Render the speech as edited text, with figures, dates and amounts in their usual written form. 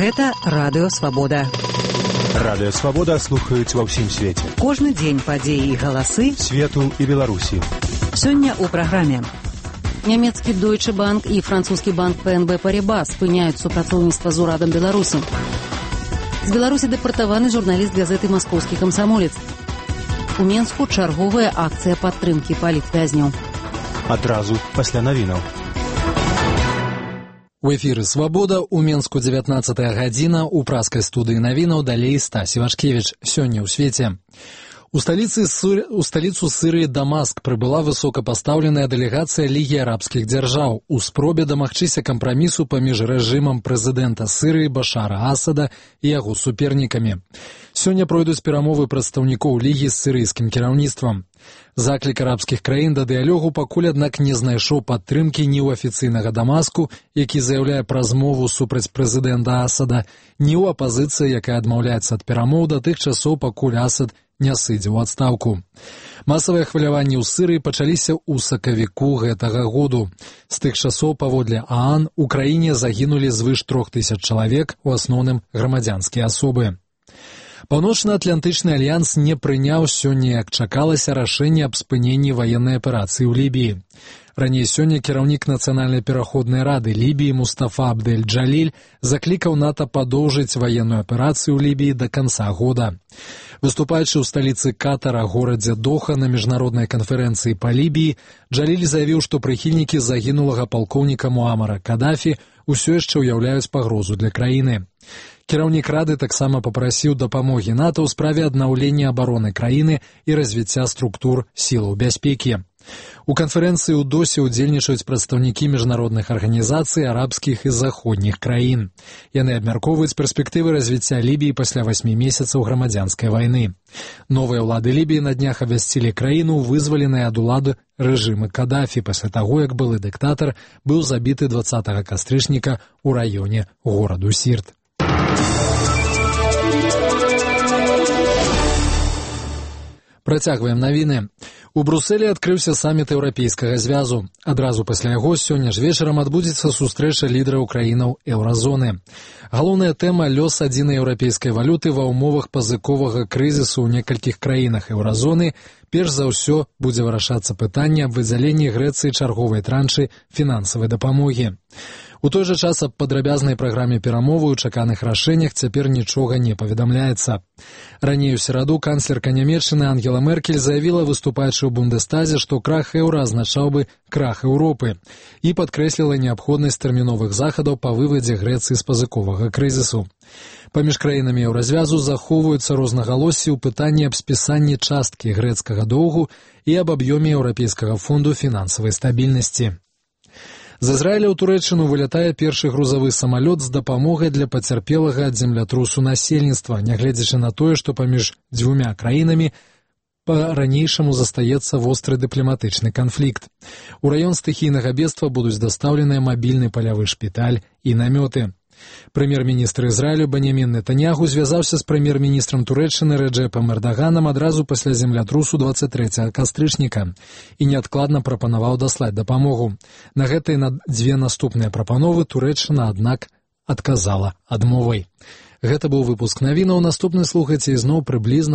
Гэта Радыё Свабода. Радыё Свабода слухаюць ва ўсім свеце. Кожны дзень падзеі і галасы свету і Беларусі. Сёння ў праграме. Нямецкі Deutsche Bank і французскі банк ПНБ Парибас спыняюць супрацоўніцтва з урадам Беларусі. З Беларусі дэпартаваны журналіст газеты «Маскоўскі камсамолец». У Менску чарговая акцыя падтрымкі палітвязняў. Адразу пасля навінаў. У эфіры «Свабода», у Менску 19 гадзіна, у праскай студыі навінаў далей Стась Івашкевіч. Сёння ў свеце. У сталіцу Сырыі Дамаск прыбыла высокапастаўленая дэлегацыя Лігі арабскіх дзяржаў у спробе дамагчыся кампрамісу паміж рэжымам прэзідэнта Сырыі Башара Асада і яго супернікамі. Сёння пройдуць перамовы прадстаўнікоў Лігі з сірыйскім кіраўніцтвам. Заклік арабскіх краін да дыялогу пакуль, аднак, не знайшоў падтрымкі ні ў афіцыйнага Дамаску, які заяўляе пра змову супраць прэзідэнта Асада, ні ў апазіцыі, якая адмаўляецца ад перамоў да тых часоў, пакуль Асад не сыдзе ў адстаўку. Масавыя хваляванні ў Сырыі пачаліся ў сакавіку гэтага году. З тых часоў, паводле ААН, у краіне загінулі звыш 3000 чалавек, у асноўным грамадзянскія асобы. Паўночна-атлантычны альянс не прыняў сёння, як чакалася, рашэнне аб спыненні ваеннай аперацыі ў Лібіі. Раней сёння кіраўнік Нацыянальнай пераходнай рады Лібіі Мустафа Абдель-Джаліль заклікаў НАТО падоўжыць ваенную аперацыю ў Лібіі да канца года. Выступаючы ў сталіцы Катара, горадзе Доха, на міжнароднай канферэнцыі па Лібіі, Джаліль заявіў, што прыхільнікі загінулага палкоўніка Муамара Кадафі ўсё яшчэ ўяўляюць пагрозу для краіны. Кіраўнік рады таксама папрасіў дапамогі НАТО ў справе аднаўлення абароны краіны і развіцця структур сілаў бяспекі. У канферэнцыі ў Досе ўдзельнічаюць прадстаўнікі міжнародных арганізацый арабскіх і заходніх краін. Яны абмяркоўваюць перспектывы развіцця Лібіі пасля 8 месяцаў грамадзянскай вайны. Новыя ўлады Лібіі на днях абвясцілі краіну, вызваленыя ад улады рэжымы Кадафі пасля таго, як былы дыктатар быў забіты 20 кастрычніка ў раёне гораду Сірт. Працягваем навіны. У Брусэлі адкрыўся саміт Еўрапейскага звязу. Адразу пасля яго сёння ж вечарам адбудзецца сустрэча лідараў краінаў еўразоны. Галоўная тэма — лёс адзінай еўрапейскай валюты ва ўмовах пазыковага крызісу ў некалькіх краінах еўразоны. Перш за ўсё будзе вырашацца пытанне аб выдзяленні Грэцыі чарговай траншы фінансавай дапамогі. У той жа час аб падрабязнай праграме перамовы ў чаканых рашэннях цяпер нічога не паведамляецца. Раней у сераду канцлерка Нямецчыны Ангела Меркель заявіла, выступаючы ў Бундестазе, што крах еўра азначаў бы крах Еўропы, і падкрэсліла неабходнасць тэрміновых захадаў па вывадзе Грэцыі з пазыковага крызісу. Паміж краінамі еўразвязу захоўваюцца рознагалоссі ў пытанні аб спісанні часткі грэцкага доўгу і аб аб'ёме Еўрапейскага фонду фінансавай стабільнасці. З Ізраіля ў Турэччыну вылятае першы грузавы самалёт з дапамогай для пацярпелага ад землятрусу насельніцтва, нягледзячы на тое, што паміж дзвюмя краінамі па-ранейшаму застаецца востры дыпламатычны канфлікт. У раён стыхійнага бедства будуць дастаўленыя мабільны палявы шпіталь і намёты. Прэм'ер-міністр Ізраілю Беньямін Нетаньяху звязаўся з прэм'ер-міністрам Турэччыны Рэджэпам Эрдаганам адразу пасля землятрусу 23 кастрычніка і неадкладна прапанаваў даслаць дапамогу. На гэтыя дзве наступныя прапановы Турэччына, аднак, адказала адмовай. Гэта быў выпуск навінаў. Наступны слухайце ізноў прыблізна